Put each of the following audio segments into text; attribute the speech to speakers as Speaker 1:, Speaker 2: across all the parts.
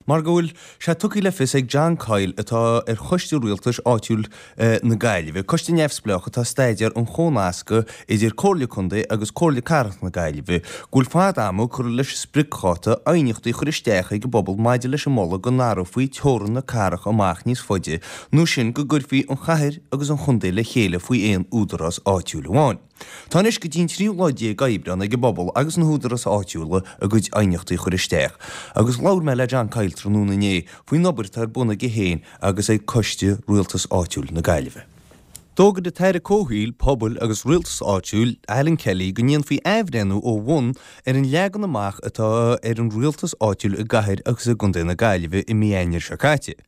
Speaker 1: mar go bhfuil sé tugtha le fios ag John Coyle atá ar Choiste Rialtais Áitiúil na Gaillimhe, coiste neamhspleách atá ag staidéar an chónasctha idir Comhairle Contae agus Comhairle Cathrach na Gaillimhe, go bhfuil fad ama curtha leis an spriocdháta aighneachtaí a chur isteach ag an bpobal maidir leis an moladh go n-athrófaí teorainn na cathrach amach níos faide nó sin go gcuirfí an chathair agus an chontae le chéile faoi aon údarás áitiúil amháin. Tá anois go dtí an tríú lá déag Aibreán ag an bpobal agus na húdaráis áitiúla a gcuid aighneachtaí a chur isteach agus labhair mé le John Coyle tráthnóna inné faoin obair atá ar bun aige féin agus ag Coiste Rialtais Áitiúil na Gaillimhe. D'fhógair an tAire Comhshaoil, Pobail agus Rialtais Áitiúil, Alan Kelly, go ndéanfaí athbhreithniú ó bhun ar an leagan amach atá ar an rialtas áitiúil i gcathair agus i gcontae na Gaillimhe i mí Eanáir seo caite.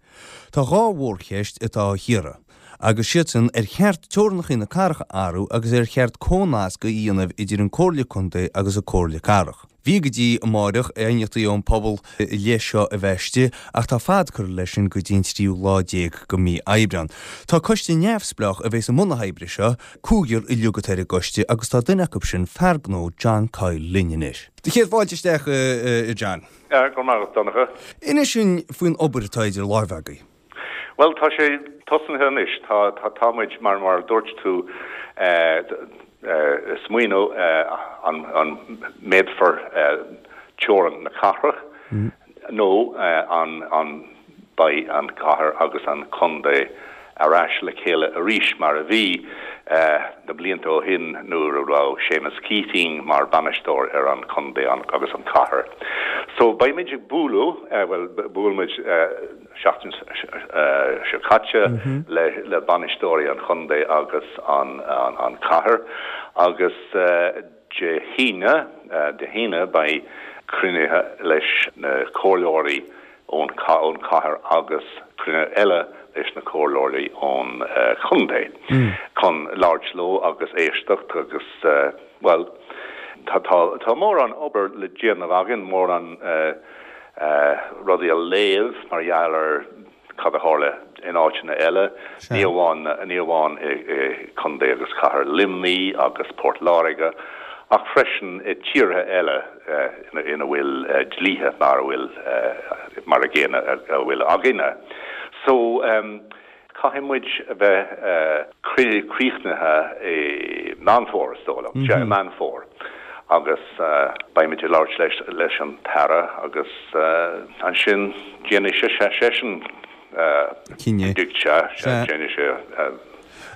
Speaker 1: Tá dhá mhórcheist atá á chíoradh, agus siad sin ar cheart teorainneacha na cathrach a athrú agus ar cheart comhnasc a dhéanamh idir an Comhairle Contae agus an Comhairle Cathrach. Bhí go dtí amáireach aighneachtaí ón pobal i leith seo a bheith istigh ach tá fad curtha leis sin go dtí an tríú lá déag de mhí Aibreán. Tá coiste neamhspleách a bheas i mbun na hoibre seo, cúigear uilig atá ar an gcoiste agus tá duine acu sin, fear gnó John Coyle linn anois. Do chéad fáilte isteach a John.
Speaker 2: Go raibh maith agat Donncha.
Speaker 1: Inis dúinn faoin obair atá idir láimhe agaibh.
Speaker 2: Bhuel, tá sé tosnaithe anois. Tá, tá, tá muid, mar, mar a dúirt tú, ag smaoineamh an, an méadfar teorainn na cathrach nó an, an beidh an cathair agus an contae ar ais le chéile arís mar a bhí na blianta ó shin nuair a raibh Séamus Keating mar bainisteoir ar an chontae agus an cathair. So beidh muid ag bualadh, bhuel, bhuail muid, seachtain seo caite le bainisteoirí an chontae agus an chathair agus Dé hAoine, Dé hAoine beidh cruinnithe leis na comhairleoirí ón chathair agus cruinnithe eile leis na comhairleoirí ón chontae chun labhairt leo agus éisteacht agus bhuel tá tá mórán obair le déanamh againn, mórán rudaí a léamh mar gheall ar cad a tharla in áiteanna eile, ní amháin ní amháin i Contae agus Cathair Luimnigh agus Port Láirge, ach freisin i tíortha eile ina bhfuil dlíthe mar a bhfuil mar a gcéanna a bhfuil againne. So. Caithfidh muid a bheith críochnaithe i Meán Fómhair, is dóigh liom. Sea, i Meán Fómhair. Agus beidh muid ag labhairt leis an tAire agus ansin déanfaidh sé seisean
Speaker 1: cinneadh.
Speaker 2: Sea, sea, déanfaidh sé.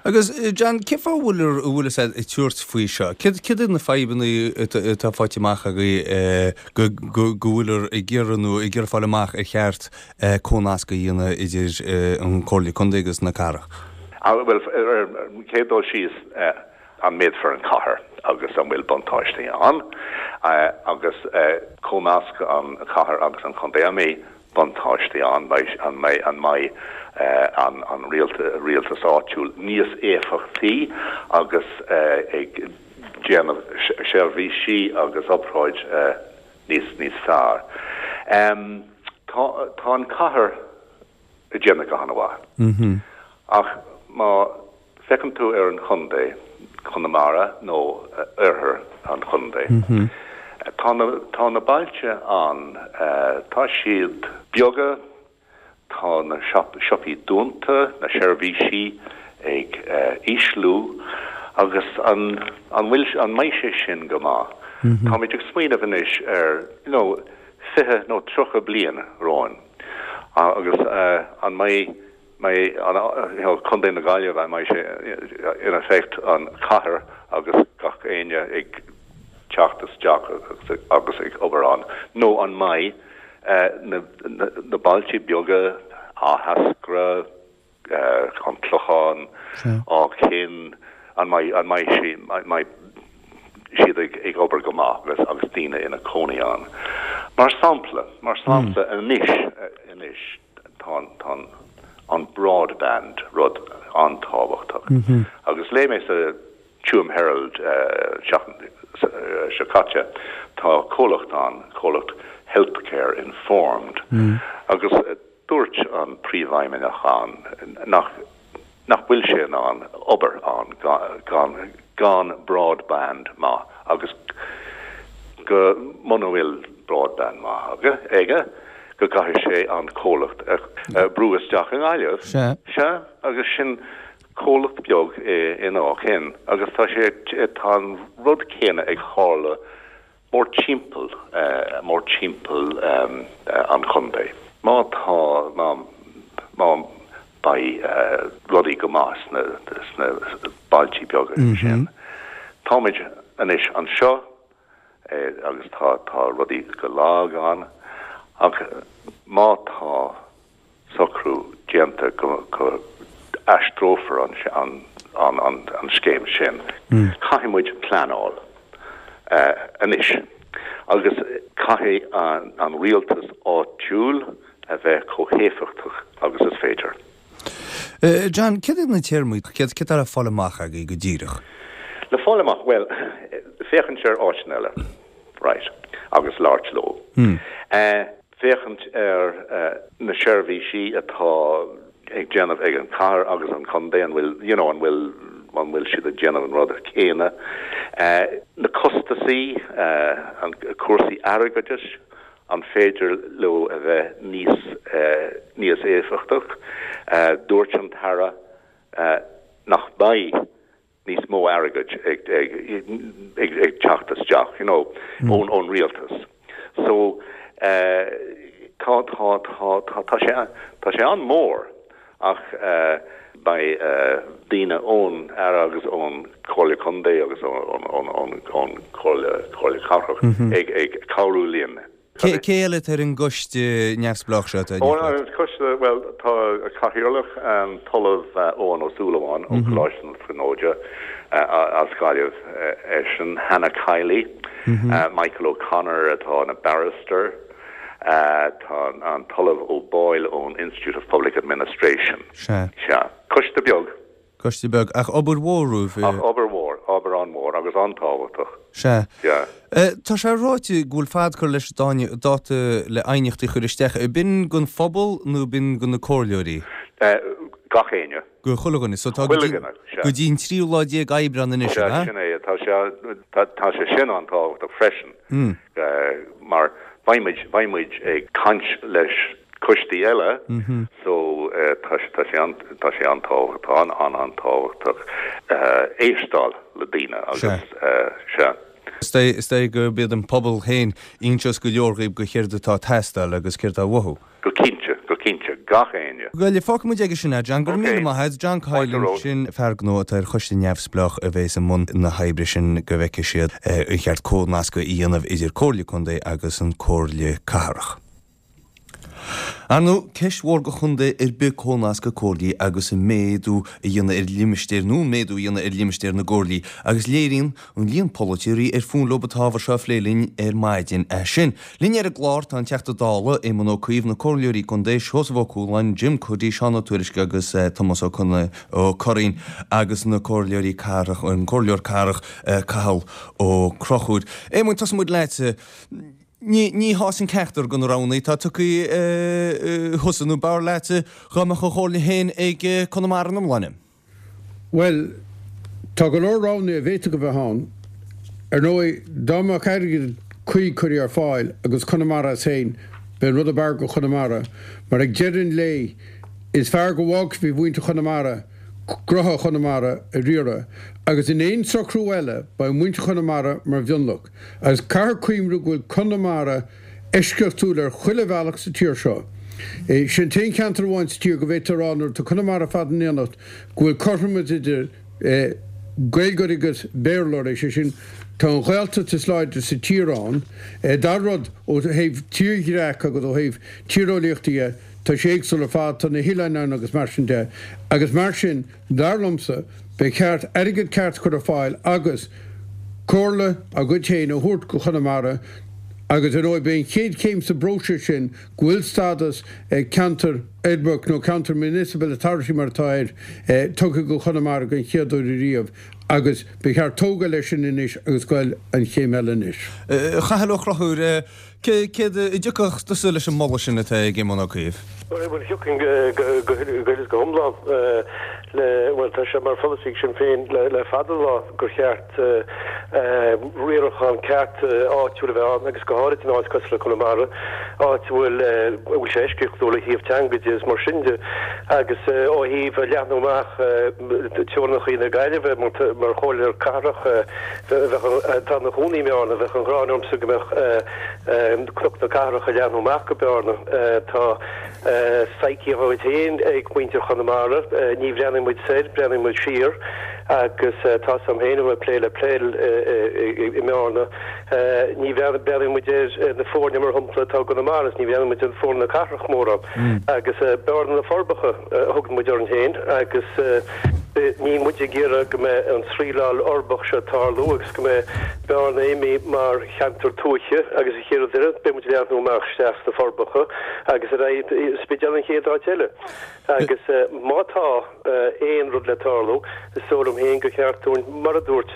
Speaker 1: Agus, John, cén fáth a bhfuil a bhfuil sibh ag tabhairt faoi seo? Céard iad na fadhbanna atá faighte amach agaibh go bhfuil ag iarraidh nó ag iarraidh fáil amach ar cheart comhnasc a dhéanamh idir an Comhairle Contae agus na cathrach?
Speaker 2: Bhuel, ar an chéad dul síos, an méadfar an chathair agus an bhfuil buntáistí ann? Agus comhnasc an chathair agus an chontae, an mbeidh buntáistí ann, an mbeidh an mbeidh an rialtas áitiúil níos éifeachtaí agus ag déanamh seirbhísí agus obráid níos níos fearr. Tá tá an cathair ag déanamh go han-mhaith ach má Féachann tú ar an chontae, Conamara nó oirthear an chontae, tá na, tá na bailte ann, tá siad beaga, tá na siopaí dúnta, na seirbhísí ag ísliú agus an, an bhfuil, an mbeidh sé sin go maith? Táimid ag smaoineamh anois ar, you know, 20 nó 30 bliain romhainn agus an mbeidh, mbeidh an, you know, Contae na Gaillimhe, an mbeidh sé in effect an chathair agus gach éinne ag teacht isteach agus ag obair ann, nó an mbeidh na, na bailte beaga, Áth Eascra, an Clochán, Áth Cinn, an mbeidh, an mbeidh sí, an mbeidh siad ag, ag obair go maith agus, agus daoine ina cónaí ann. Mar sampla, mar sampla anois, anois, Tá an broadband rud an-tábhachtach agus léigh mé sa Tuam Herald seachtain seo caite tá comhlacht ann, comhlacht Healthcare Informed agus dúirt an príomhfheidhmeannach ann nach nach bhfuil sé in ann obair ann gan gan broadband maith agus go muna bhfuil broadband maith aige. go gcaithfidh sé an comhlacht a brú isteach i nGaillimh.
Speaker 1: Sea.
Speaker 2: Sea, agus sin comhlacht beag in Áth Cinn agus tá sé, tá an rud céanna ag tharla mórtimpeall, mórtimpeall an chontae. Má tá, má, má beidh rudaí go maith sna, sna bailtí beaga sin. Táimid anois anseo agus tá, tá rudaí go lag ann ach má tá socrú déanta go, go aistreofar an, an, an, an scéim sin, caithfidh muid pleanáil anois agus caithfidh an, an rialtas áitiúil a bheith chomh héifeachtach agus is féidir.
Speaker 1: John, céard iad na téarmaí, céard atá le fáil amach agaibh go díreach?
Speaker 2: Le fáil amach, bhuel, féachaint ar áiteanna eile, right, agus labhairt leo. Féachaint ar na seirbhísí atá ag déanamh ag an chathair agus an contae, an bhfuil, you know, an bhfuil, an bhfuil siad ag déanamh an rud céanna. Na costasaí, an cúrsaí airgeadais, An féidir leo a bheith níos níos éifeachtach? Dúirt an tAire nach mbeidh níos mó airgid ag ag ag teacht isteach, you know, ón ón rialtas. So tá tá tá tá tá sé tá sé an-mhór ach beidh daoine ón Aire agus ón Chomhairle Contae agus ón Chomhairle Cathrach ag cabhrú linn.
Speaker 1: Cé eile atá ar an gcoiste neamhspleách seo atá ag
Speaker 2: Ó, an coiste, bhuel, tá cathaoirleach, an tOllamh Eoghan Ó Súilleabháin ó Choláiste na Tríonóide as Gaillimh eisean, Hannah Kiely, Michael O'Connor atá ina barrister, Tá an tOllamh O'Boyle ón Institute of Public Administration.
Speaker 1: Sea.
Speaker 2: Sea. Coiste beag.
Speaker 1: Coiste beag. Ach obair mhór romhaibh.
Speaker 2: Ach obair mhór. Obair an-mhór agus an-tábhachtach.
Speaker 1: Sea.
Speaker 2: Sea.
Speaker 1: Tá sé ráite go bhfuil fad curtha leis an dáta le aighneachtaí a chur isteach. B'in don phobal nó b'in do na comhairleoirí?
Speaker 2: Gach éinne.
Speaker 1: Go chuile dhuine. So tá
Speaker 2: go dtí,
Speaker 1: go dtí an tríú lá déag Aibreán anois,
Speaker 2: an ea? Sea, sin é. Tá sé, tá sé sin an-tábhachtach freisin. Mar beidh muid, beidh muid ag caint leis coistí eile so tá sé, tá sé an, tá sé an-tábhachtach, tá an, an, an-tábhachtach éisteáil le daoine agus
Speaker 1: sea. Is dóigh gurb iad an pobal féin a inseos go leor dhaoib go céard atá ag teastáil agus céard atá uathu.
Speaker 2: Go cinnte, go cinnte, gach éinne.
Speaker 1: Bhuel, fágfaidh muid aige sin é, John. Go raibh míle maith agat. John Coyle ansin, fear gnó atá ar choiste neamhspleách a bheas i mbun na hoibre sin go bhfeicfidh siad an cheart comhnascadh a dhéanamh idir Comhairle Contae agus an Comhairle Cathrach. Ar ndóigh, ceist mhór go chontae ar bith comhnascadh comhairlí agus an méadú a dhéanamh ar limistéir nó an méadú a dhéanamh ar limistéir na gcomhairlí agus léiríonn an líon polaiteoirí ar fúinn leo an t-ábhar seo a phlé linn ar maidin é sin. Linn ar an gclár tá an Teachta Dála, Éamon Ó Cuív, na Comhairleoirí Contae, Seosamh Ó Cualáin, Jim Cuddy, Seán Ó Tuairisg agus Tomás Ó Curraoin agus na Comhairleoirí Cathrach, an Comhairleoir Cathrach Cathal Ó Conchúir. Éamoin, tosóidh muid leatsa. Ní, ní shásaíonn ceachtar de na roghanna atá tugtha thusa nó b'fhearr leatsa dhá mbeadh a chomhairle féin ag Conamara ina iomláine.
Speaker 3: Bhuel, tá go leor roghanna a bhféadfadh a bheith ann. Ar ndóigh, dá mbeadh airgead cuí curtha ar fáil agus Conamara as féin, b'é an rud ab fhearr go Chonamara, mar ag deireadh an lae, is fearr go bhfágfaí faoi mhuintir Chonamara gnótha Chonamara a riaradh, agus in aon socrú eile, beidh muintir Chonamara mar mhionlach. Agus caithfear cuimhniú go bhfuil Conamara eisceachtúil ar chuile bhealach sa tír seo. Sin an t-aon cheantar amháin sa tír go bhféadfá a rá nuair atá Conamara ar fad in éineacht go bhfuil cothromas idir Gaeilgeoirí agus Béarlóirí, sé sin, tá an Ghaeltacht is láidre sa tír ann. Dara rud, ó thaobh tírdhreacha agus ó thaobh tíreolaíochta dhe, tá sé éagsúil ar fad, tá na hoileáin ann agus mar sin de. Agus mar sin, Dar liomsa, ba cheart airgead ceart a chur ar fáil agus comhairle á gcuid féin a thabhairt go Chonamara agus ar ndóigh b'é an chéad chéim sa bpróiseas sin go bhfuil stádas ceantar uirbeach nó ceantar municipal authority mar atá air tugtha go Chonamara den chéad uair ariamh agus ba cheart tógáil leis sin anois agus goil an chéim eile anois.
Speaker 1: A Chathail Ó Conchúir. Céard a dtiocfadh tusa leis an moladh sin atá ag Éamon Ó Cuív?
Speaker 4: Bhuel, thiocfainn go huile is go hiomlán le, bhuel, tá sé mar pholasaí ag Sinn Féin le fada an lá gur cheart riarachán ceart áitiúil a bheith ann agus go háirid in áit cosúil le Conamara, áit a bhfuil, a bhfuil sé eisceachtúil ó thaobh teanga de is mar sin de agus ó thaobh leathnú amach teorainneacha na Gaillimhe mar chomhairleoir cathrach bheadh, atá ina chónaí i mBearna, bheadh an ghráin ormsa go mbeadh Cnoc na Cathrach ag leathnú amach go Bearna. Tá psyche dá gcuid féin ag muintir Chonamara. Ní bhreathnaíonn muid soir, breathnaíonn muid siar. Agus tá 's a'm féin a bheith ag plé le peil i mBearna. Ní bhreathnaíonn muid ar na foirne mar shampla atá i gConamara is ní bhreathnaíonn muid ar foirne na cathrach mórán. Agus Bearna na Forbacha a thugann muid orainn féin agus níl muid ag iarraidh go mbeidh an sraoilleáil uirbeach seo ag tarlú agus go mbeidh Bearna imithe mar cheantar tuaithe agus an chéad rud eile beidh muid ag leathnú amach isteach sna Forbacha agus ar aghaidh Spidéal an chéad áit eile. Agus má tá aon rud le tarlú, is dóigh liom féin gur cheart dúinn, mar a dúirt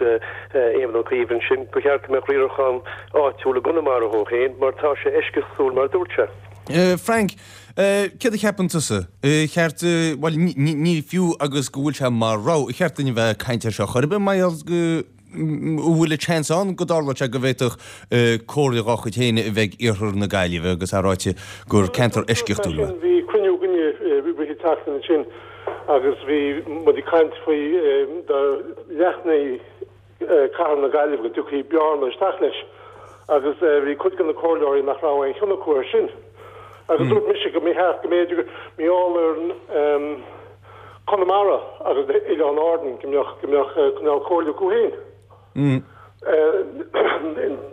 Speaker 4: Éamon Ó Cuív ansin, gur cheart go mbeadh riarachán áitiúil i gConamara dhó féin mar tá sé eisceachtúil mar a dúirt sé.
Speaker 1: Frank, céard a cheapann tusa? Ar cheart, bhuel, ní fiú agus go bhfuil sé mar rogha, ar cheart dúinn a bheith ag caint air seo chor ar bith mar gheall go bhfuil an seans ann go dtarlódh sé go bhféadfadh comhairle dhá chuid féin a bheith ag iarthar na Gaillimhe agus é ráite gur ceantar eisceachtúil é.
Speaker 5: Bhí cruinniú againne i rith na seachtaine ansin agus bhí muid ag caint faoi dá leathnófaí cathair na Gaillimhe go dtiocfaí Bearna isteach leis agus bhí cuid de na comhairleoirí nach raibh aon chion acu air sin agus dúirt mise go mba cheart go mb'fhéidir mar gheall ar Conamara agus Oileáin Árann go mbeadh go mbeadh cineál comhairle acu féin.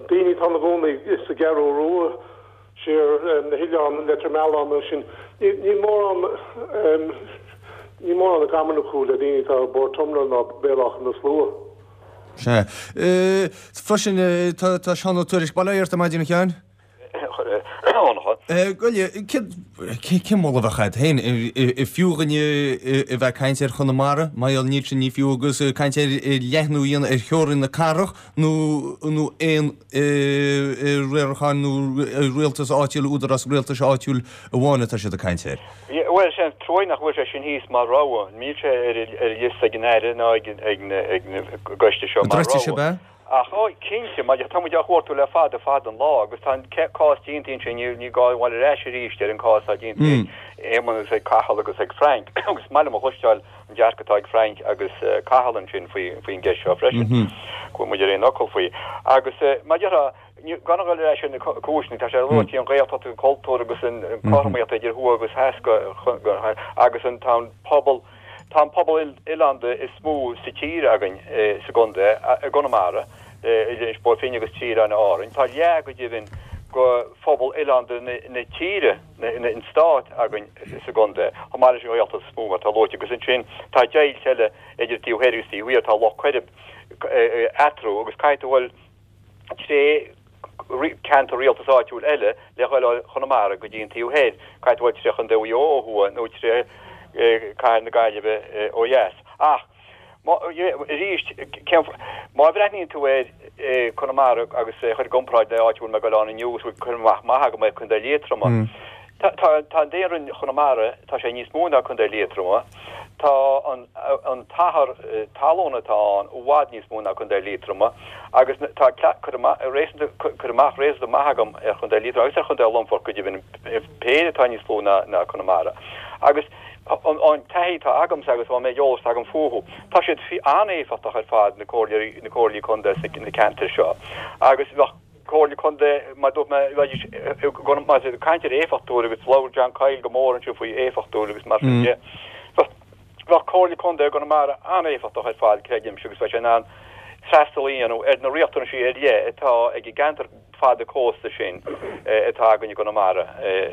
Speaker 5: Daoine atá ina gcónaí sa gCeathrú Rua, siar na hoileáin, Leitir Mealláin nó sin, níl mórán níl mórán i gcommon acu le daoine atá i bPort Omna ná Béal Átha na Slua.
Speaker 1: Sea. Freisin tá Seán Ó Tuairisg, bail ó Dhia ort ar maidin a Sheáin. Cén moladh a bheadh agat féin? An fiú dhuine a bheith ag caint ar Chonamara? Mar gheall níl sin ní fiú agus caint ar leathnú a dhéanamh ar theorainn na cathrach nó nó aon riarachán nó rialtas áitiúil, údarás rialtais áitiúil amháin atá siad ag caint air.
Speaker 6: Bhuel, is é an truaí nach bhfuil sé sin thíos mar rogha. Níl sé ar an liosta ag an Aire ná ag an gcoiste seo mar rogha. Ach, ó, cinnte, mar tá muid á chuartú le fada, fada an lá, agus tá an cás déanta ansin, ní gá a ghabháil ar ais arís ar an cás atá déanta ag Éamonn agus ag Cathal agus ag Frank, agus is maith liom a chloisteáil an dearcadh atá ag Frank agus Cathal ansin faoi, faoin gceist seo freisin, go bhfuil muid ar aon fhocal faoi. Agus, mar a déarfá, gan a ghabháil ar ais ar na cúiseanna, tá sé luaite, an Ghaeltacht, an cultúr agus an cothromaíocht idir thuaidh agus theas go, agus an, tá an pobal, Tá an pobal oileánda is mó sa tír againn sa gcontae, i gConamara, idir Inis Bó Finne agus trí oileáin Árainn. Tá leath go deimhin de phobal oileánda na tíre, an stáit, againn sa gcontae, chomh maith leis an Ghaeltacht is mó, mar atá luaite. Agus ansin tá deighilt eile idir taobh thoir agus taobh thiar, tá Loch Coirib eatarthu agus caithfidh tú a dhul tré ceantar rialtais áitiúil eile le dhul ó Chonamara go dtí an taobh thoir, caithfidh tú a dhul tré Chontae Mhaigh Eo ó thuaidh nó tré Cathair na Gaillimhe ó dheas. Ach, arís, má bhreathnaíonn tú ar Conamara agus é a chur i gcomparáid le áit a bhfuil mé ag dul ann inniu agus a bhfuil cur amach maith agam ar Contae Liatroma, Tá an daonra in Chonamara, tá sé níos mó ná Contae Liatroma. Tá an t-achar talún atá ann i bhfad níos mó ná Contae Liatroma agus tá cur amach réasúnta maith agam ar Chontae Liatroma agus ar Chontae Longfoirt go deimhin, péire atá níos lú ná Conamara. Agus an taithí atá agamsa agus an méid eolais atá agam fúthu, tá siad an-éifeachtach ar fad, na comhairlí contae sna ceantair seo agus bheadh Comhairle Contae, mar a dúirt mé, bheidís más ag caint ar éifeachtúil agus labhair John Coyle go mór ansin faoi éifeachtúil agus mar sin de. Bheadh Comhairle Contae i gConamara an-éifeachtach ar fad, creidimse, agus bheadh sé in ann freastal a dhéanamh ar na riachtanaisí ar leith atá ag an gceantar fada cósta sin atá againn i gConamara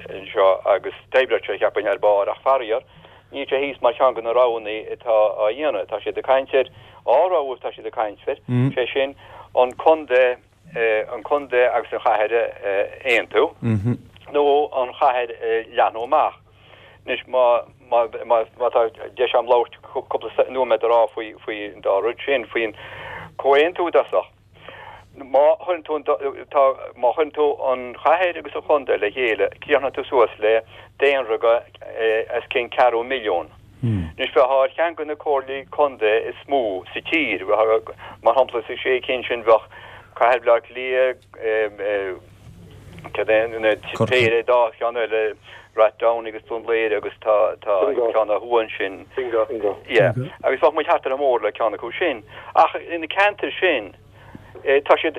Speaker 6: anseo agus d'oibreodh sé, cheapfainn, ar barr ach faraor, níl sé thíos mar cheann de na roghanna atá á dhéanamh. Tá siad ag caint ar dhá rogha atá siad ag caint air, sé sin an contae, an contae agus an chathair a aontú nó an chathair a leathnú amach. Anois má má má tá deis agam labhairt cúpla nóiméad a rá faoi faoi an dá rud sin, faoin comhaontú i dtosach. Má chuireann tú an, tá, má chuireann tú an chathair agus an chontae le chéile, críochnaíonn tú suas le daonra go os cionn ceathrú milliún. Anois bheifeá ar cheann de na comhairlí contae is mó sa tír. Mar shampla, sa sé cinn sin bheadh Cathair Bhaile Átha Cliath, cad é, na péire dá cheann eile, Rathdowney agus Dún Laoghaire agus tá ceann ó thuaidh ansin.
Speaker 5: Bingo.
Speaker 6: Yeah. Agus bheadh muid thart ar chomh mór le ceann acu sin. Ach ina ceantair sin, tá siad,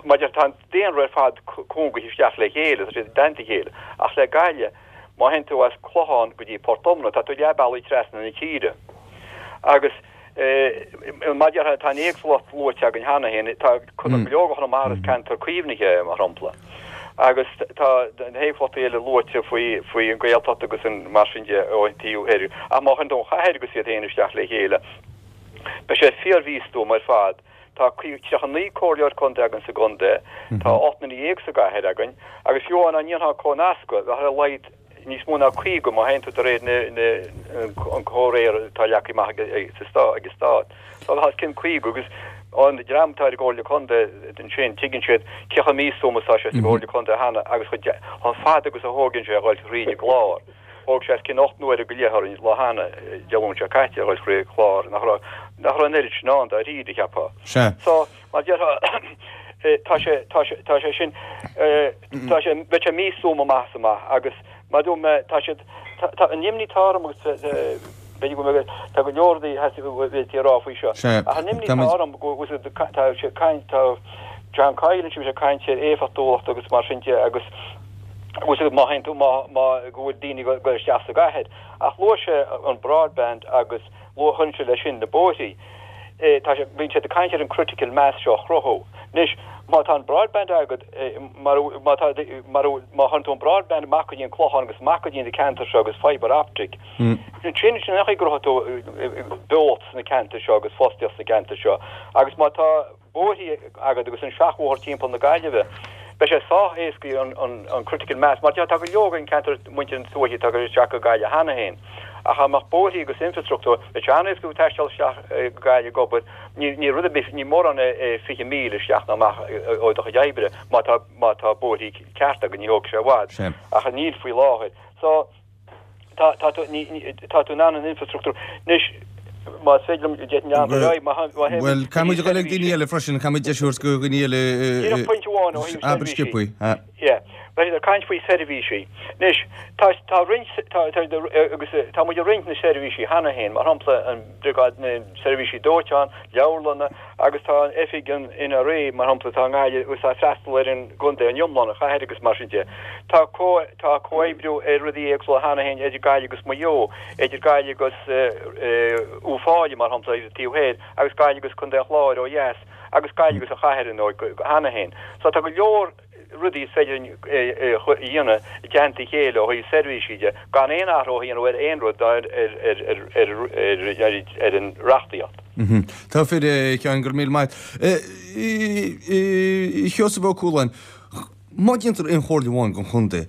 Speaker 6: mar tá an daonra ar fad cúngaithe isteach le chéile, tá siad i dteannta a chéile. Ach le Gaillimh, má théann tú as Clochán go dtí Port Omna, tá tú leath bealaigh trasna na tíre. Agus mar a déarfá, tá an éagsúlacht luaite againn cheana féin, tá go leor de Chonamara is ceantar caomhnaithe é, mar shampla. Agus tá na héagsúlachtaí eile luaite faoi faoi an Ghaeltacht agus an mar sin de ó thaobh thoir. Ach má chuireann tú an chathair agus iad féin isteach le chéile, beidh sé fíor-mhístuama ar fad. Tá 39 comhairleoir contae againn sa gcontae, tá 18 sa gcathair againn, agus fiú amháin dá ndéanfá comhnascadh, bheadh ar a laghad níos mó ná 50 má théann tú de réir an comhréir atá leagtha amach ag an stát. So bheadh os cionn 50 agus an dream atá ar an gComhairle Contae ansin, tuigeann siad cé chomh místuama is atá sé sa gComhairle Contae cheana agus chomh fada agus a thógann sé a dhul thríd an gclár. Thóg sé os cionn 8 n-uaire go leith orainn lá cheana, Dé Luain seo caite, a dhul thríd an chlár, nach raibh, nach raibh an oiread sin ann dáiríre, cheapfá.
Speaker 1: Sea.
Speaker 6: So, mar a déarfá, tá sé, tá sé, tá sé sin, tá sé, bheadh sé místuama amach is amach agus mar a dúirt mé, tá siad, tá, tá, an imní atá orm agus b'fhéidir go mbeidh, tá go leor rudaí a bhféadfaí a rá faoi seo,
Speaker 1: Sea.
Speaker 6: ach an imní
Speaker 1: Tá
Speaker 6: atá
Speaker 1: muid.
Speaker 6: orm go bhfuil, tá sé ag caint, tá John Coyle ansin, bhí sé ag caint ar éifeachtúlacht agus mar sin de agus, agus má théann tú, má, má, go bhfuil daoine ag dul isteach sa gcathair. Ach luaigh sé an broadband agus luaigh, chuir sé leis sin na bóithrí. Tá sé, bíonn siad ag caint ar an critical mass seo a chruthú. Anois, má tá an broadband agat, mar, má tá, mar, má chuireann tú an broadband amach go dtí an Clochán agus amach go dtí na ceantair seo agus fibre optic, ansin sin an chaoi go gcruthóidh tú beocht sna ceantair seo agus fostaíocht sna ceantair seo. Agus má tá. bóithrí agat agus an seachbhóthar timpeall na Gaillimhe, beidh sé sách éascaí an critical mass, mar tá go leor den ceantar muintir na tuaithe atá ag dul isteach go Gaillimh cheana féin. Ach dá mbeadh bóithrí agus infrastruchtúr, beidh sé an-éasca taisteal isteach go Gaillimh ag obair, ní rud ar bith, ní mórán é 20 míle isteach nó amach ó do chuid oibre má tá má tá bóithrí cearta agat, ní thógfaidh sé i bhfad. Ach níl faoi láthair. So. Tá, tá tú, ní, ní, tá tú in ann an infrastruchtúr. Anois, más féidir liom, d'fhéadfainn leanúint ar aghaidh, má, má théim
Speaker 1: Bhuel, caithfidh muid a dhul ag daoine eile freisin, caithfidh muid deis a thabhairt do dhaoine eile
Speaker 6: Díreach pointe amháin ó thaobh
Speaker 1: abair
Speaker 6: seirbhísí.
Speaker 1: sciobthaí. Ha.
Speaker 6: Yeah. Beidh siad ag caint faoi seirbhísí. Anois, tá, tá roinnt, tá, tá, agus tá muid ag roinnt na seirbhísí cheana féin, mar shampla an briogáid, na seirbhísí dóiteáin, leabharlanna, agus tá an oifig an NRA, mar shampla, atá i nGaillimh agus atá ag freastal ar an gcontae in iomlán, an chathair agus mar sin de. Tá tá comhoibriú ar rudaí éagsúla cheana féin idir Gaillimh agus Maigh Eo, idir Gaillimh agus Uíbh Fhailí, mar shampla, ar an taobh thoir, agus Gaillimh agus Contae an Chláir ó dheas, agus Gaillimh agus an chathair, ar ndóigh, cheana féin. So tá go leor. rudaí is féidir linn a dhéanamh i dteannta a chéile ó thaobh seirbhísí de, gan aon athrú a dhéanamh ar aon rud ná ar an reachtaíocht.
Speaker 1: Tá fíor, a Sheáin, go raibh míle maith. A Sheosaimh Ó Cualáin, má déantar aon chomhairle amháin don chontae,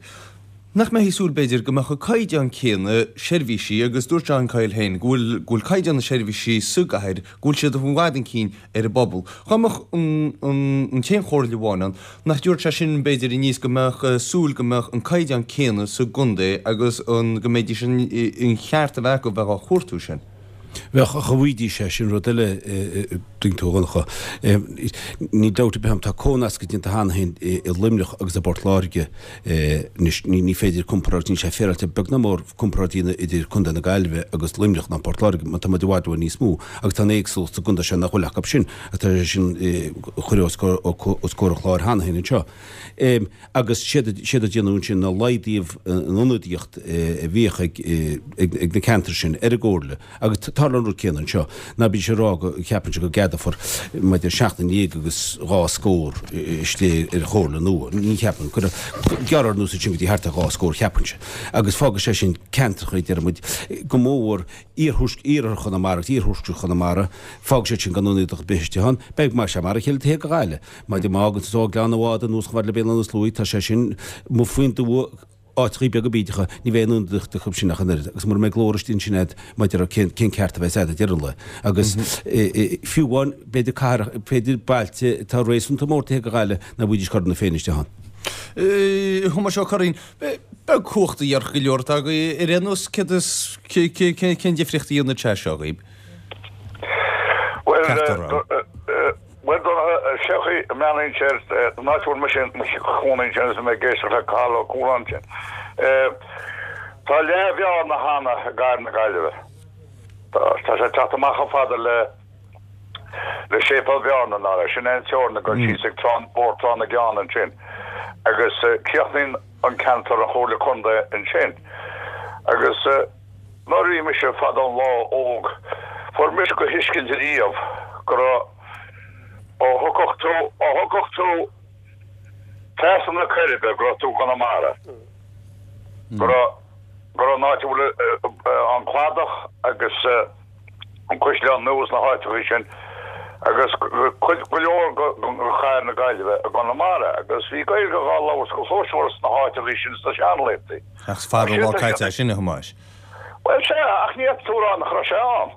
Speaker 1: nach mbeifí ag súil, b'fhéidir, go mbeadh an caighdeán céanna seirbhísí agus dúirt John Coyle féin go bhfuil go bhfuil caighdeán na seirbhísí sa gcathair, go bhfuil siad i bhfad chun cinn ar an bpobal. Dá mbeadh an t-aon chomhairle amháin ann, nach dtabharfadh sé sin, b'fhéidir, aníos go mbeadh súil go mbeadh an caighdeán céanna sa gcontae agus an go mbeidís an cheart a bheith acu bheith á chuartú sin.
Speaker 7: Bheadh, ach an bhfaighidís é, sin rud eile, tuigeann tú, a Dhonncha. Níl dabht ar bith ann, tá comhnascadh déanta cheana féin i Luimneach agus i bPort Láirge anois. Ní féidir comparáid, níl sé féaráilte beag ná mór comparáid a dhéanamh idir Contae na Gaillimhe agus Luimneach ná Port Láirge mar tá muid i bhfad uainn níos mó agus tá an éagsúlacht sa gcontae seo nach bhfuil acu sin agus tá sé sin curtha os comhair an chláir cheana féin anseo. Agus séard a déanadh ansin ná laghdaíodh an ionadaíocht a bhíodh ag na ceantair sin ar an gcomhairle. Agus tarlaíonn an rud céanna anseo. Ná bídís ag rá go gceapann siad go gceadófar maidir seacht ndéag agus dhá scór istigh ar chomhairle nua. Ní cheapaim. Gearrfar anuas ansin go dtí thart ar dhá scór cheapfainnse. Agus fágfaidh sé sin ceantracha, deir muid, go mór iarthar Chonamara agus iarthuaisceart Chonamara, fágfaidh siad sin gan ionadaíocht ar bith istigh ann. Beidh mar sé mar a chéile taobh thiar de Ghaillimh. Má fhágann tú ó Ghleann an Bháda anuas chomh fada le Béal Átha na Sluaighe, tá sé sin amuigh faoin dtuath. áiteachaí beaga bídeacha, ní bheidh aon ionadaíocht acu sin ach an oiread, agus mura mbeidh glór istigh ansin agat maidir le cén cén ceart a bheas agat ag deireadh an lae. Agus fiú amháin, b'fhéidir cathair, b'fhéidir bailte atá réasúnta mór taobh thiar de Ghaillimh ná bhfaighidís corn na féin isteach ann.
Speaker 1: A Thomáis Ó Curraoin, beag cumhacht a dhéarfadh go leor atá agaibh ar aon nós, céard is, cén difríocht a dhéanfaidh sé seo dhaoib?
Speaker 8: Bhuel, Bhuel, cén chaoi a mbreathnaíonn sé ar an áit a bhfuil mise i mo chónaí ansin agus mé ag éisteacht le Cathal Ó Cualáin ansin. Tá leath Bhearna cheana i gcathair na Gaillimhe. Tá sé ag teacht amach chomh fada le le Séipéal Bhearna ná sin é an teorainn ag dul síos ag Trá Bóthar Trá na gCeann ansin agus críochnaíonn an ceantar an Chomhairle Contae ansin. Agus nuair a bhí mise fadó an lá óg fuair mise go thuiscint riamh go raibh ó thiocfadh tú, ó thiocfadh tú trasna na Coiribe go raibh tú i gConamara, go raibh, go raibh an áit a bhfuil an cladach agus an Caisleán Nua is na háiteachaí sin agus cuid, go leor de chathair na Gaillimhe i gConamara agus bhí Gaeilge dhá labhairt go cluaismhar sna háiteachaí sin sna seanlaethanta.
Speaker 1: Ach is fada an lá caite é sin, a Thomáis.
Speaker 8: Bhuel, sea, ach ní fhéadfaidh tú a rá nach raibh sé ann.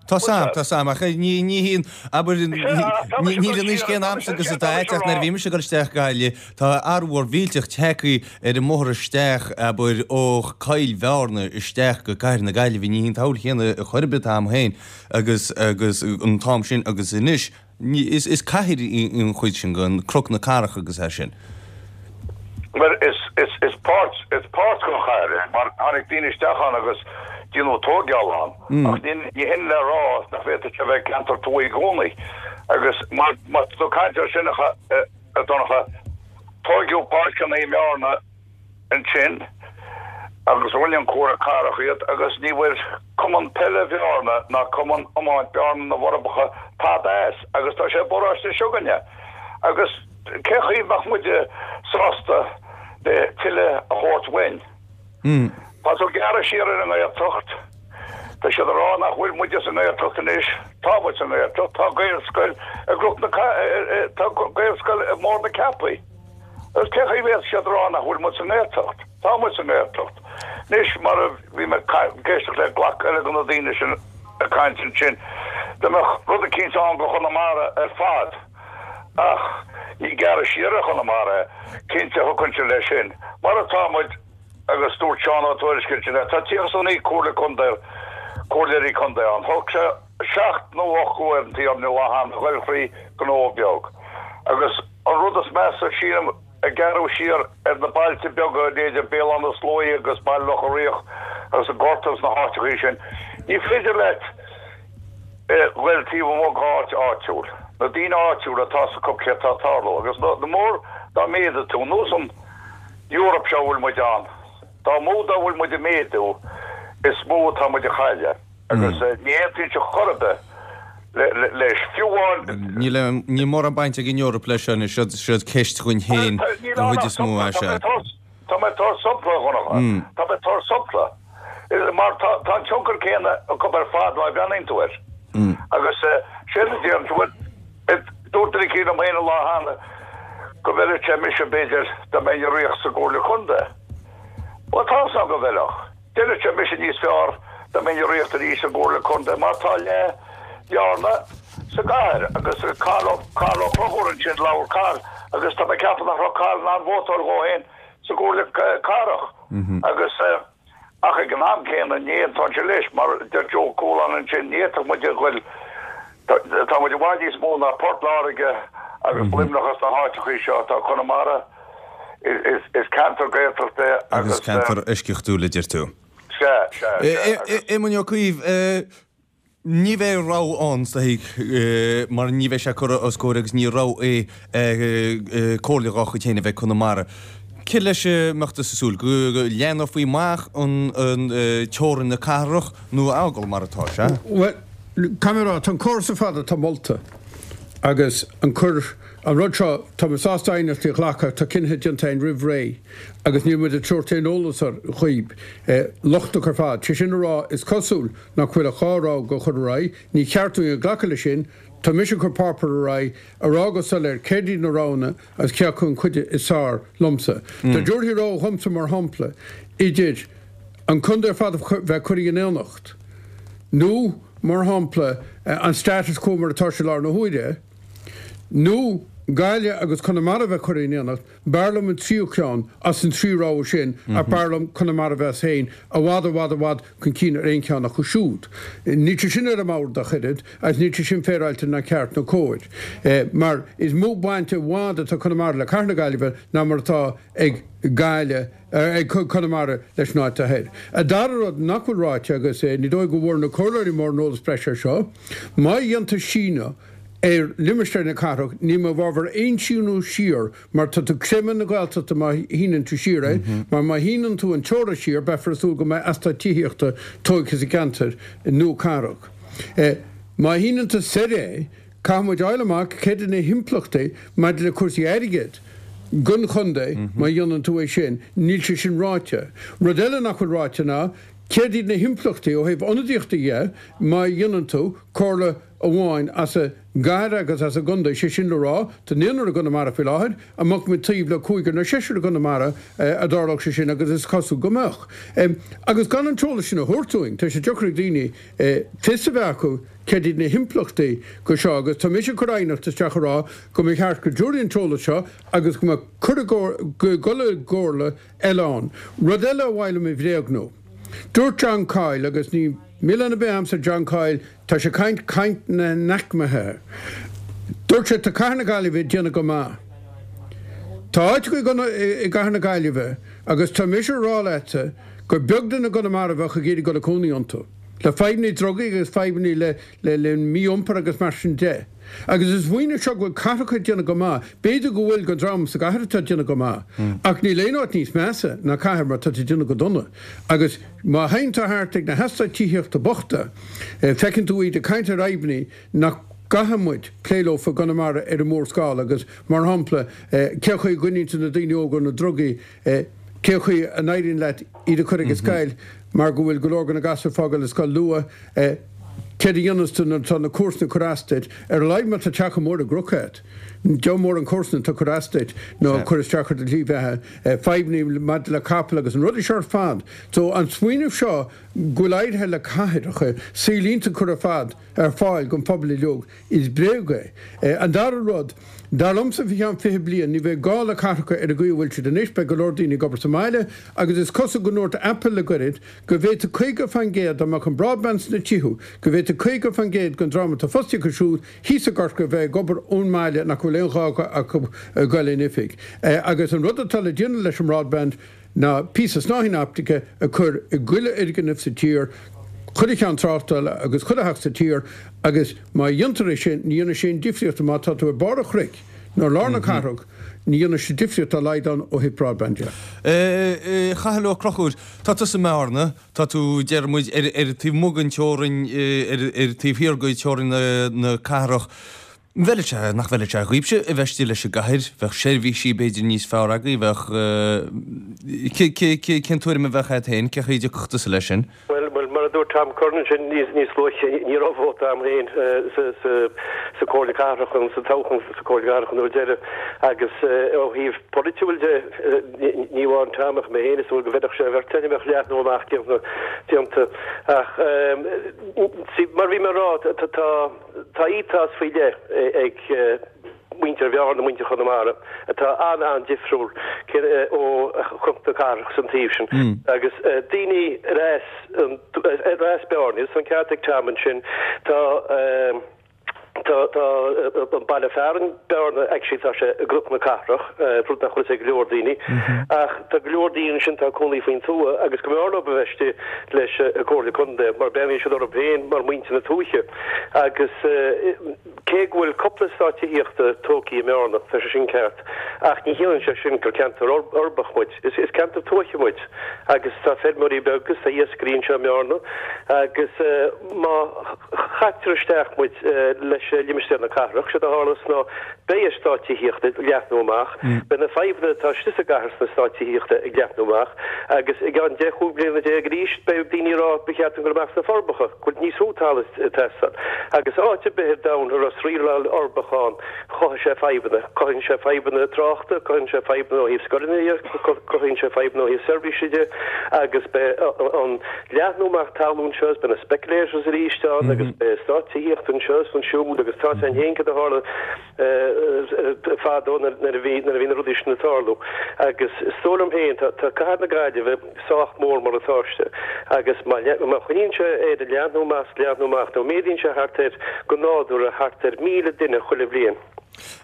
Speaker 1: Tá 's a'm, tá 's a'm, ach ní, ní híonn, abair, níl an aois céanna a'msa agus atá a'd ach nuair a bhí mise ag dul isteach Gaillimh, tá athrú mhór mhillteach tagtha ar an mbóthar isteach, abair, ó Choill Bhearna isteach go Cathair na Gaillimhe, ní híon tsamhail chéanna chor ar bith an t-am féin agus, agus an t-am sin agus anois. Is is cathair í an chuid sin den Cnoc na Cathrach agus é sin.
Speaker 8: Bhuel, is is is páirt is páirt den chathair é mar tháinig daoine isteach ann agus déanadh tóigeáil ann ach ní ní hin le rá nach bhféadfadh sé a bheith ceantar tuaithe i gcónaí agus mar má tá tú ag caint air sin a a Dhonncha, tóigeadh páirceanna i mBearna ansin agus rinne an Comhairle Cathrach iad agus ní bhfuair Cumann Peile Bhearna ná Cumann Iomáint Bearna na bhForbacha tada as agus tá sé i bparóiste s'againne agus cén chaoi a mbeadh muide sásta le tuilleadh a thabhairt uainn? Tá tú ag gearradh siar ar an nGaeltacht. Tá siad ag rá nach bhfuil muide sa nGaeltacht anois. Tá muid sa nGaeltacht. Tá Gaelscoil i gCnoc na Tá Gaelscoil i mBarr na Ceapaí. Agus cén chaoi a bhféadfadh siad a rá nach bhfuil muid sa nGaeltacht? Tá muid sa nGaeltacht. Anois, mar a bhí mé ag éisteacht le glac eile de na daoine sin ag caint ansin, dá mbeadh rud eicínt ann do Chonamara ar fad, ach ní gearradh siar ar Chonamara é, cinnte thiocfainnse leis sin. Mar atá muid, agus dúirt Seán Ó Tuairisg ansin, tá 39 comhairle contae, comhairleoirí contae ann. Thug sé seacht nó ocht uair an Tiarna lá cheana a ghoil thrí gnó beag. Agus. An rud is measa, sílim, ag gearradh siar ar na bailte beaga, leithéide Béal Átha na Sluaighe agus Baile Locha Riach agus an Gort agus na háiteachaí sin, ní féidir leat goil taobh amuigh d'áit áitiúil. Na daoine áitiúla, tá 's acu céard tá ag tarlú. Agus na mór dá méadaigh tú, nós an Eoraip seo a bhfuil muid ann, dá mó dá bhfuil muid ag méadú, is mó atá muid a chailleadh. Agus ní aontaíonn sé chor ar bith leis, fiú amháin.
Speaker 1: Níl níl mórán baint ag an Eoraip leis seo anois, siod ceist dhúinn féin den chuid is mó, é sea.
Speaker 8: Tá mé ag tabhairt sampla, a Dhonncha. Tá mé ag tabhairt sampla. Mar tá an tionchar céanna acu ar fad má bhreathnaíonn tú air. Agus séard a déarfainn, bhuel, dúirt duine eicínt liom féin an lá cheana go bhfeilfeadh sé mise, b'fhéidir, dá mbeinn ag rith sa gComhairle Contae. Bhuel, tá's agam go bhfeilfeadh. D'fheilfeadh sé mise níos fearr dá mbeinn ag ritheacht arís sa gComhairle Contae mar tá leath Bhearna sa gcathair agus Cathal Ó Cathal Ó Conchúir ansin, labhair Cathal agus tá mé ag ceapadh nach raibh Cathal in ann vótáil dhó féin sa gComhairle Cathrach agus ach ag an am céanna ní aontóinnse leis mar deir Joe Cualáin ansin ní fhéadfadh muid a ghoil tá muid i bhfad níos mó ná Port Láirge agus Luimneach agus na háiteachaí seo tá Conamara Is ceantar Gaeltachta é
Speaker 1: agus. Agus ceantar eisceachtúil a deir tú.
Speaker 8: Sea, sea, sea.
Speaker 1: Agus. Éamoinn Ó Cuív, ní bheidh rogha ann is dóigh mar ní bheidh sé curtha os comhair agus ní rogha é comhairle dhá chuid féin a bheith ag Conamara. Céard leis a mbeadh tusa ag súil? Go leathnófaí amach an teorainn na cathrach nó a fhágáil mar atá sé?
Speaker 3: Bhuel, caithfidh mé a rá, tá an córas ar fad atá molta agus an cur An rud seo, tá muid sásta aighneachtaí a ghlacadh, tá cinnithe déanta againn roimh ré agus níl muid ag tabhairt aon eolas ar dhaoib, lochtach ar fad. Sé sin a rá, is cosúil nach bhfuil ach 2 rogha a chur ar aghaidh, ní cheart dúinn a glacadh leis sin. Tá mise ag cur páipéar ar aghaidh a rá go soiléir céard iad na roghanna agus cé acu an chuid is fearr liomsa. Dá dtabharfaí rogha dhomsa, mar shampla, idir an contae ar fad a bheith curtha in aonacht nó, mar shampla, an status quo mar atá sé i láthair na huaire, nó Gaillimh agus Conamara a bheith curtha in aonacht, B'fhearr liom an tríú ceann as an trí rogha sin ach b'fhearr liom Conamara a bheith as féin i bhfad, i bhfad, i bhfad chun cinn ar aon cheann acu siúd. Níl sé sin ar an mbord ach oiread agus níl sé sin féaráilte ná ceart ná cóir. Mar is mó baint i bhfad atá Conamara le Cathair na Gaillimhe ná mar atá ag Gaillimh, ag Conamara leis an áit thoir. An dara rud nach bhfuil ráite agus ní dóigh go bhfuair na comhairleoirí mórán eolas breise air seo, má dhéantar síneadh ar limistéar na cathrach, níl mé i bhfabhar aon síneadh siar mar tá tú ag creimeadh na Gaeltachta má shíneann tú siar é, mar má shíneann tú an teora siar beifear ag súil go mbeidh eastát tithíochta tógtha sa gceantar nua cathrach. Má shíneann tú soir é, caithfidh muid fháil amach céard iad na himpleachtaí maidir le cúrsaí airgid don chontae má dhéanann tú é sin. Níl sé sin ráite. Rud eile nach bhfuil ráite ná céard iad na himpleachtaí ó thaobh ionadaíochta dhe má dhéanann tú comhairle amháin as an gcathair agus as an gcontae, sé sin le rá, tá naonúr i gConamara faoi láthair, an mbeadh muid taobh le cúigear nó seisear i gConamara dá dtarlódh sé sin agus is cosúil go mbeadh. Agus gan an t-eolas sin a thabhairt dúinn, tá sé deacair ag daoine fios a bheith acu céard iad na himpleachtaí go seo agus tá mise ag cur aighneacht isteach a rá go mba cheart go dtabharfaí an t-eolas seo agus go mbeadh cur i gcomhairle eile ann. Rud eile a mhaith liom a bhréagnú. Dúirt John Coyle, agus ní milleán ar bith a'msa John Coyle, tá sé ag caint caint na n-aicmithe. Dúirt sé, tá Cathair na Gaillimhe ag déanamh go maith. Tá áiteacha i gCathair na Gaillimhe, agus tá mise a rá leatsa gur beag duine i gConamara a bheadh ag iarraidh dul ag cónaí iontu. Le fadhbanna drugaí agus fadhbanna le le mí-iompar agus mar sin de. Agus an smaoineamh seo go bhfuil cathracha ag déanamh go maith, b'fhéidir go bhfuil don dream sa gcathair atá ag déanamh go maith, ach níl aon áit níos measa ná cathair mar tá tú ag déanamh go dona. Agus má théann tú thart ag na heastáit tithíochta bochta, feiceann tú iad ag caint ar fhadhbanna nach gcaithfidh muid plé leo i gConamara ar an mórscála agus, mar shampla, cén chaoi a gcoinníonn tú na daoine óga ó na drugaí, cén chaoi a n-éiríonn leat iad a chur ag an scoil mar go bhfuil go leor de na gasúir ag fágáil an scoil luath. Céard a dhéanas tú nuair atá na comharsana ag cur as duit? Ar a laghad má tá teach mór i gcnoc agat, deabhal mórán comharsan atá ag cur as duit nó ag cur isteach ar do shlí bheatha, fadhbanna maidir le capaill agus na rudaí seo ar fad. So an smaoineamh seo go bhfuil éirithe le cathracha saol iontach a chur ar fad ar fáil don phobal uilig, Is bréag é. An dara rud, dar liomsa faoi cheann 20 bliain ní bheidh gá le cathracha ar an gcaoi a bhfuil siad anois, beidh go leor daoine ag obair sa mbaile agus is cosúil go ndúirt Apple le goirid go bhféadfadh 50% dá mbeadh an broadband sna tithe, go bhféadfadh 50% den dream atá fostaithe acu siúd thíos i gCorcaigh a bheith ag obair ón mbaile nach bhfuil aon ghá acu goil in oifig. Agus an rud atá le déanamh leis an mbroadband, ná píosa snáithín optaice a chur i gchuile fhoirgneamh sa tír, chuile cheann tráchtála agus chuile theach sa tír agus má dhéantar é sin, ní dhéanfaidh sé aon difríocht má tá tú ar barr an chnoic nó i lár na cathrach, ní dhéanfaidh sé difríocht dá laghad ann ó thaobh broadband de.
Speaker 1: A Chathail Ó Conchúir, tá tusa i mBearna, tá tú, deir muid, ar an taobh amuigh den teorainn, ar an taobh thiar de theorainn na cathrach. An bhfeilfeadh sé, nach bhfeilfeadh sé dhaoibhse a bheith istigh leis an gcathair, bheadh seirbhísí b'fhéidir níos fearr agaibh, bheadh, cén tuairim a bheadh agat féin, cén chaoi a dtiocfadh tusa leis sin?
Speaker 4: Bhuel, bhuel, mar a dúirt Tom Curran ansin níos, níos luaithe, ní raibh vóta a'm féin sa, sa, sa Comhairle Cathrach, sa toghchán sa Comhairle Cathrach an uair deiridh agus ó thaobh polaitiúil de, ní amháin Tom ach mé féin is dóigh go bhfeilfeadh sé an bheirt againn a bheadh leathnú amach déanta, déanta. Ach, see, mar a bhí mé a rá, tá, tá, Tá ethos faoi leith ag muintir Bhearna, muintir Chonamara, atá an-an-difriúil ó chnoc na cathrach san taobh sin. Agus daoine ar as ar as Bearna, is an ceart ag Tom ansin, tá tá tá an baile fearainn Bearna actually tá sé i gCnoc na Cathrach, rud nach bhfuil fhios ag go leor daoine. Ach tá go leor daoine ansin atá ag cónaí faoin tuath agus go mb'fhearr leo a bheith istigh leis an Comhairle Contae mar breathnaíonn siad orthu féin mar muintir na tuaithe agus cé go bhfuil cúpla eastát tithíochta tógtha i mBearna, tá sé sin ceart, ach ní chiallaíonn sé sin gur ceantar uirbeach muid. Is ceantar tuaithe muid agus tá feirmeoirí beaga agus tá iascairí anseo i mBearna agus má chaitear isteach muid leis. limistéar na cathrach, séard a tharlós ná beidh eastáit tithíochta ag leathnú amach, beidh na fadhbanna atá istigh sa gcathair sna eastáit tithíochta ag leathnú amach agus i gceann 10, 15 bliana arís beidh daoine ag rá ba cheart dúinn dul amach sna Forbacha, go bhfuil níos mó talaimh ag teastáil. Agus áit ar bith ar domhan a raibh sraoilleáil uirbeach ann, chothaigh sé fadhbanna. Cothaíonn sé fadhbanna tráchta, cothaíonn sé fadhbanna ó thaobh scoileanna de, cothaíonn sé fadhbanna ó thaobh seirbhíse de agus beidh an leathnú amach talún seo is beidh na speculators arís ann agus beidh eastáit tithíochta anseo is ansiúd agus tá 's againn féin cad a tharla fadó nuair a bhí nuair a bhí na rudaí sin ag tarlú. Agus is dóigh liom féin tá tá cathair na Gaillimhe sách mór mar atá sé agus má má choinníonn sé air ag leathnú amach is leathnú amach nó méadaíonn sé thart ar go nádúrtha thart ar 1,000 duine chuile bhliain.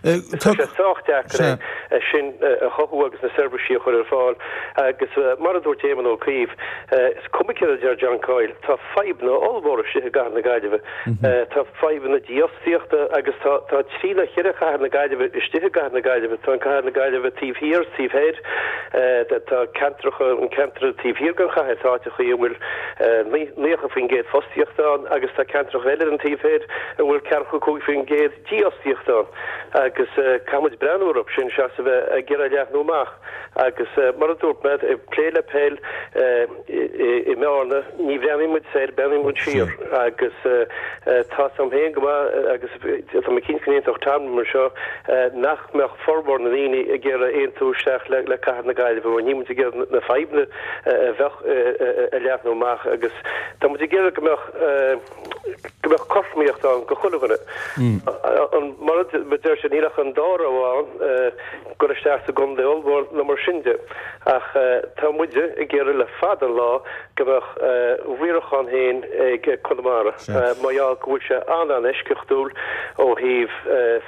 Speaker 4: Tá sé sách deacair é sin a chothú agus na seirbhísí a chur ar fáil agus mar a dúirt Éamon Ó Cuív, is cuma céard a deir John Coyle, tá fadhbanna ollmhóra istigh i gcathair na Gaillimhe. Tá fadhbanna dífhostaíochta agus tá tá trí nó cheithre chathair na Gaillimhe istigh i gcathair na Gaillimhe. Tá an cathair na Gaillimhe taobh thiar is taobh thoir. Tá ceantracha, an ceantar taobh thiar den chathair, tá áiteachaí a bhfuil 90% fostaíochta ann agus tá ceantracha eile ar an taobh thoir a bhfuil ceathracha 5% dífhostaíocht ann agus caithfidh muid breathnú orthu sin seachas a bheith ag iarraidh leathnú amach agus mar a dúirt mé, ag plé le peil i mBearna, ní bhreathnaíonn muid soir, breathnaíonn muid siar agus tá 's agam féin go maith agus tá mé cinnte go n-aontódh Tom liom anseo nach mbeadh formhór na ndaoine ag iarraidh aontú isteach le cathair na Gaillimhe mar níl muid ag iarraidh na fadhbanna a bheadh a leathnú amach agus tá muid ag iarraidh go mbeadh go mbeadh cothromaíocht ann go chuile dhuine. An, mar a deir sé, níl ach an dá rogha ann, dul isteach sa gcontae ollmhór nó mar sin de. Ach tá muide ag iarraidh le fada an lá go mbeadh riarachán féin ag Conamara mar gheall go bhfuil sé an-an-eisceachtúil ó thaobh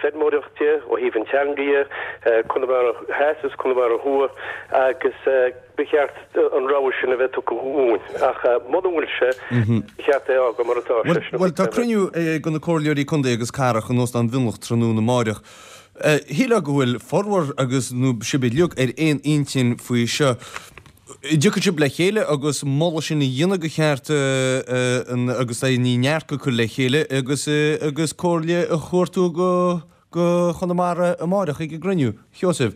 Speaker 4: feirmeoireacht de, ó thaobh an teanga dhe, Conamara Theas is Conamara Thuaidh agus Ba cheart an rogha sin a bheith tugtha dhúinn, ach muna bhfuil sé, ba cheart é a fhágáil mar atá
Speaker 1: sé. Bhuel, tá cruinniú ag na comhairleoirí contae agus cathrach in Óstán Mhionlach tráthnóna amáireach. Shílfeá go bhfuil formhór agus nó sibh uilig ar aon intinn faoi seo. An dtiocfaidh sibh le chéile agus moladh sin a dhéanamh go cheart agus é ní neart a chur le chéile agus agus comhairle a chuartú go go Chonamara amáireach ag an gcruinniú. Sheosaimh.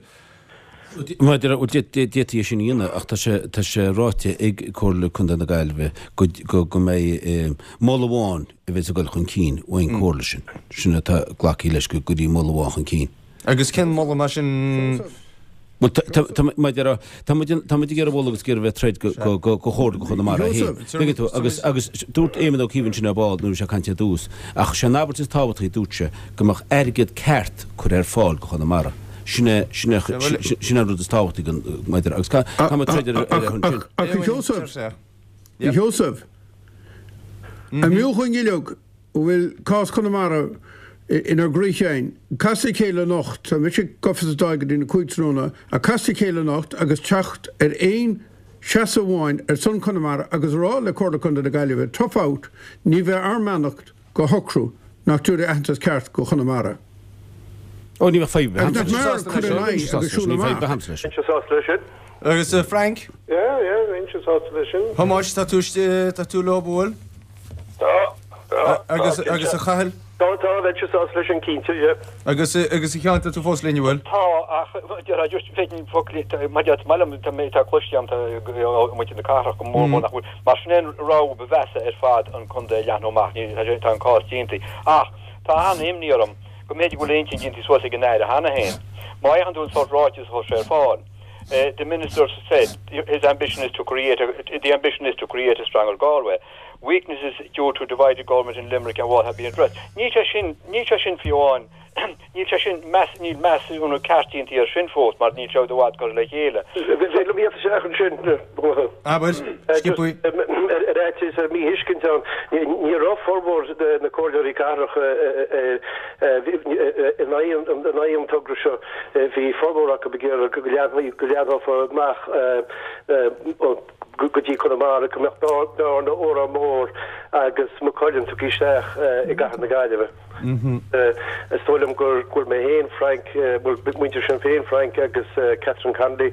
Speaker 7: D'fhéadfaí é sin a dhéanamh ach tá sé tá sé ráite ag Comhairle Contae na Gaillimhe go go go mbeidh moladh amháin a bheas ag dul chun cinn ón gcomhairle sin. Sin atá glactha leis go gcuirfí moladh amháin chun cinn.
Speaker 1: Agus cén moladh mar sin?
Speaker 7: Bhuel, tá muid tá muid tá muid ag iarraidh mholadh agus ag iarraidh bheith troid go go go go chomhairle go Chonamara féin. Tuigeann tú agus agus dúirt Éamon Ó Cuív ansin ar ball nuair a bhí sé ag caint ar dtús ach sé an abairt is tábhachtaí dúirt sé go mbeadh airgead ceart curtha ar fáil go Chonamara. Sin é sin é sin é an rud is tábhachtaí go maidir agus tá muid troid ar ar ar
Speaker 3: sin. Ach a Sheosaimh, a Sheosaimh, an mb'fhiú dhúinn uilig a bhfuil cás Chonamara inár gcroí féin. Casadh le chéile anocht, tá mise gafa sa Dáil go dtí na 5 tráthnóna, ach casadh le chéile anocht agus teacht ar aon seasamh amháin ar son Chonamara agus a rá le Comhairle Contae na Gaillimhe, tough out, ní bheidh ár mbeannacht go shocrú nach dtabharfaí aitheantas ceart go Chonamara.
Speaker 7: Ó, ní bheadh fadhb
Speaker 3: ar bith agamsa leis sin. Agus nach mb'fhearr cur in aghaidh agus siúl amach.
Speaker 4: Bheinnse sásta leis sin.
Speaker 1: Agus Frank?
Speaker 5: Yeah, yeah, bheinnse sásta leis sin.
Speaker 1: Thomáis, tá tú, tá tú leo, bhfuil?
Speaker 8: Tá, tá,
Speaker 1: Agus, tá, agus a Chathail?
Speaker 4: Tá, tá, bheinnse sásta leis sin cinnte, yeah.
Speaker 1: Agus, agus a Sheáin, tá tú fós linn, an bhfuil?
Speaker 6: Tá, ach déarfá just féadfainn focal, mar is maith liom, tá mé, tá cloiste agam, tá ó mhuintir na cathrach go mór mór nach bhfuil, mar sin é an rogha ba mheasa ar fad an contae a leathnú amach, ní, tá sé, tá an cás déanta. Ach tá an-imní orm go mb'fhéidir go bhfuil a intinn déanta suas ag an Aire cheana féin. Má fhéachann tú an sórt ráiteas a chuir sé ar fáil, The minister said his ambition is to create a, the ambition is to create a stronger Galway. Weaknesses due to divided government in Limerick and Wall have been addressed. Níl sé sin, níl sé sin fiú amháin, níl sé sin, meas, níl measúnú ceart déanta air sin fós mar níl sé i bhfad curtha le chéile.
Speaker 4: Bheadh liom iad isteach ansin.
Speaker 1: Abair, sciobthaí.
Speaker 4: Ar fhaitíos ar míthuiscint ann, ní raibh formhór na comhairleoirí cathrach in aghaidh an togra seo. Bhí formhór acu ag iarraidh go leathnófaí amach go dtí Conamara, go mbeadh Bearna, Órán Mór agus Maigh Cuilinn tugtha isteach i gcathair na Gaillimhe. Is dóigh liom gur bhfuil mé féin, Frank, bhuel, muintir Shinn Féin, Frank agus Catherine Connolly,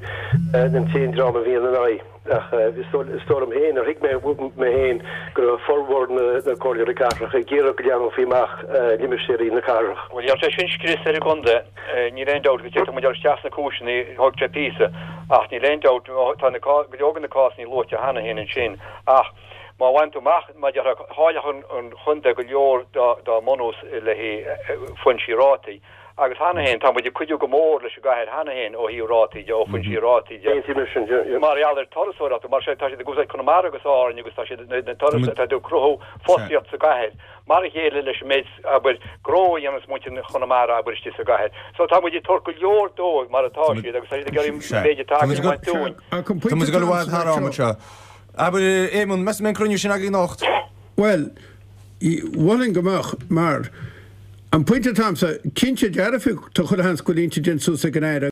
Speaker 4: an t-aon dream a bhí ina n-aghaidh. Ach is dóigh liom féin, ar thuig mé mé féin, go raibh formhór na comhairleoirí cathrach ag iarraidh go leathnófaí amach limistéirí na cathrach.
Speaker 6: Bhuel, gheobhaidh sé sin scrios ar an gcontae, níl aon dabht, agus d'fhéadfadh muid dul isteach sna cúiseanna, thóg sé píosa, ach níl aon dabht, tá na, go leor de na cásanna luaite cheana féin ansin, ach má bhain tú amach, mar a déarfá, chaillfeadh an chontae go leor dá mbunús le haghaidh foinsí rátaí. Agus cheana féin, tá muid ag cuidiú go mór leis an gcathair cheana féin ó thaobh rátaí de, ó foinsí rátaí de.
Speaker 4: Aontaím leis sin, yeah.
Speaker 6: Mar gheall ar turasóireacht, mar tá siad ag úsáid Conamara agus Árainn agus tá siad, na turas, tá siad ag cruthú fostaíocht sa gcathair, mar a chéile leis an méid, abair, gnó a dhéanas muintir Chonamara, abair, istigh sa gcathair. So tá muid ag tabhairt go leor dóibh mar atá siad agus tá siad ag iarraidh an méid atá againn a bhaint dúinn.
Speaker 1: Tá muid ag dul i bhfad thar am anseo. Abair, Éamonn, meas tú an mbeidh an cruinniú sin againn anocht?
Speaker 3: Bhuel, mholfainn go mbeadh, mar. An pointe atá a'msa, cinnte dearfa tá chuile sheans go bhfuil intinn déanta suas ag an Aire.